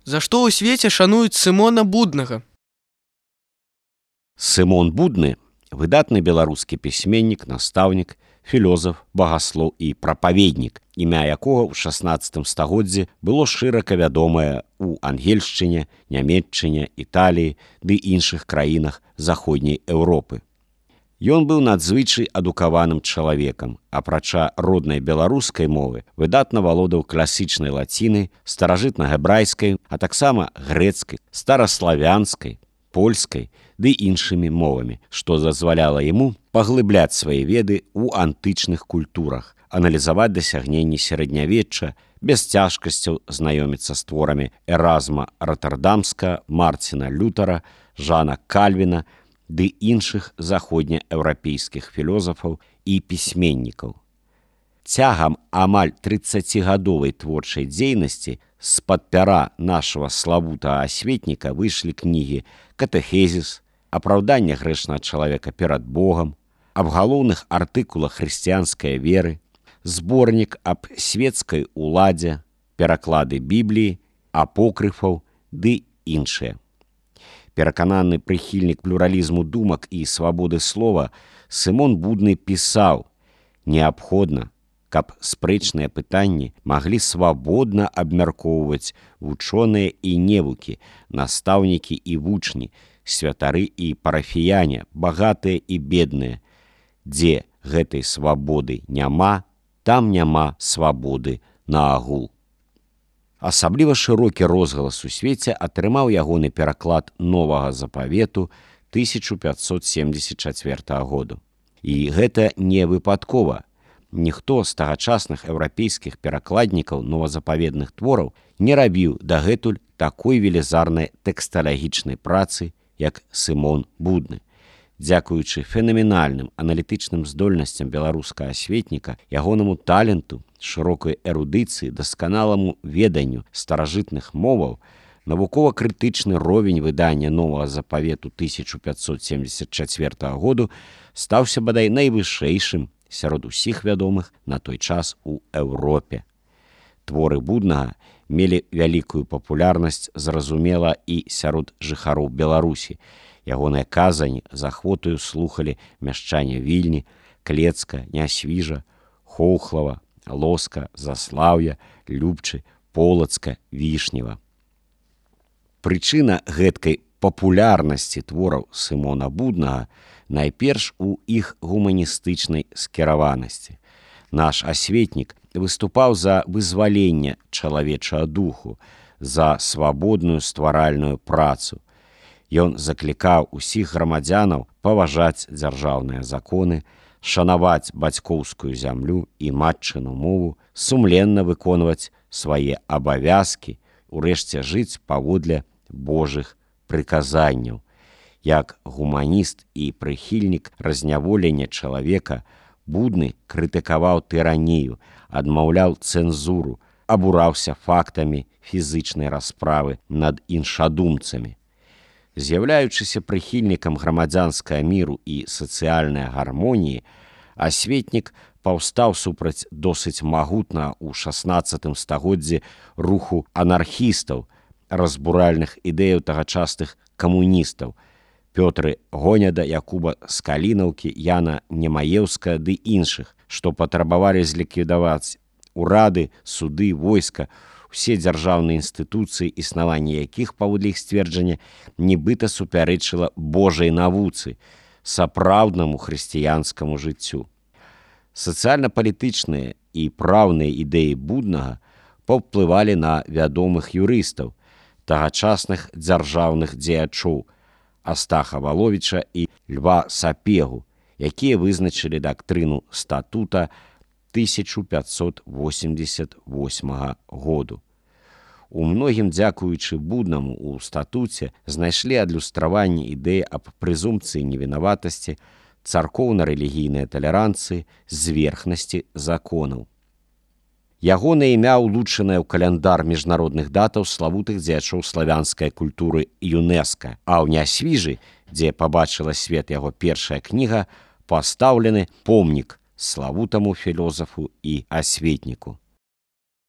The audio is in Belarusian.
За што ў свеце шануюць Сымона Буднага? Сымон Будны – выдатны беларускі пісьменнік, настаўнік, філозаф, багаслоў і прапаведнік, імя якога ў 16 стагоддзі было шырока вядомае ў Ангельшчыне, Нямецчыне, Італіі ды іншых краінах заходняй Еўропы. Ён быў надзвычай адукаваным чалавекам, апрача роднай беларускай мовы, выдатна валодаў класічнай лацінай, старажытна-гебрайскай, а таксама грэцкай, стараславянскай, польскай ды іншымі мовамі, што дазваляла яму паглыбляць свае веды ў антычных культурах, аналізаваць дасягненні сярэднявечча, без цяжкасцяў знаёміцца з творамі Эразма Роттердамска, Марціна Лютера, Жана Кальвіна ды іншых заходнееўрапейскіх філозафаў і пісьменнікаў. Цягам амаль 30гадовай творчай дзейнасці з-пад пяра нашага славутага асветніка выйшлі кнігі «Катэхезіс», «Апраўданне грэшнага чалавека перад Богам», аб галоўных артыкулах хрысціянскай веры, зборнік аб свецкай уладзе, пераклады Бібліі, апокрыфаў ды іншыя. Перакананы прыхільнік плюралізму думак і свабоды слова, Сымон Будны пісаў: «Неабходна, каб спрэчныя пытанні маглі свабодна абмяркоўваць вучоныя і невукі, настаўнікі і вучні, святары і парафіяне, багатыя і бедныя. Дзе гэтай свабоды няма, там няма свабоды наагул». Асабліва шырокі розгалас у свеце атрымаў ягоны пераклад новага запавету 1574 году. І гэта не выпадкова. Ніхто з тагачасных еўрапейскіх перакладнікаў новазапаведных твораў не рабіў дагэтуль такой велізарнай тэксталагічнай працы, як Сымон Будны. Дзякуючы фенаменальным аналітычным здольнасцям беларускага асветніка, ягонаму таленту, шырокай эрудыцыі, дасканаламу веданню старажытных моваў, навукова-крытычны ровень выдання новага запавету 1574 году стаўся бадай найвышэйшым сярод усіх вядомых на той час у Еўропе. Творы Буднага мелі вялікую папулярнасць, зразумела, і сярод жыхароў Беларусі. Ягоныя казані з ахвотаю слухалі мяшчане Вільні, Клецка, Нясвіжа, Хоўхлава, Лоска, Заслаўя, Любчы, Полацка, Вішнева. Прычына гэткай папулярнасці твораў Сымона Буднага найперш у іх гуманістычнай скіраванасці. Наш асветнік выступаў за вызваленне чалавечага духу, за свабодную стваральную працу. Ён заклікаў усіх грамадзянаў паважаць дзяржаўныя законы, шанаваць бацькоўскую зямлю і матчыну мову, сумленна выконваць свае абавязкі, урэшце жыць паводле Божых прыказанняў. Як гуманіст і прыхільнік разняволення чалавека, Будны крытыкаваў тыранію, адмаўляў цэнзуру, абураўся фактамі фізычнай расправы над іншадумцамі. З'яўляючыся прыхільнікам грамадзянскага міру і сацыяльнай гармоніі, асветнік паўстаў супраць досыць магутна ў 16 стагоддзі руху анархістаў, разбуральных ідэяў тагачасных камуністаў Пётры Гоняда, Якуба Скалінаўкі, Яна Немаеўска ды іншых, што патрабавалі зліквідаваць урады, суды, войска, усе дзяржаўныя інстытуцыі, існаванне якіх, паводле іх сцверджання, нібыта супярэчыла Божай навуцы, сапраўднаму хрысціянскаму жыццю. Сацыяльна-палітычныя і праўныя ідэі Буднага паўплывалі на вядомых юрыстаў, тагачасных дзяржаўных дзеячоў Астаха Валовіча і Льва Сапегу, якія вызначылі дактрыну статута 1588 году. У многім дзякуючы Буднаму ў статуце знайшлі адлюстраванне ідэі аб прэзумпцыі невінаватасці, царкоўна-рэлігійнай талеранцыі, зверхнасці законаў. Ягонае імя ўлучанае ў каляндар міжнародных датаў славутых дзеячоў славянскай культуры ЮНЕСКА, а ў Нясвіжы, дзе пабачыла свет яго першая кніга, пастаўлены помнік славутаму філозафу і асветніку.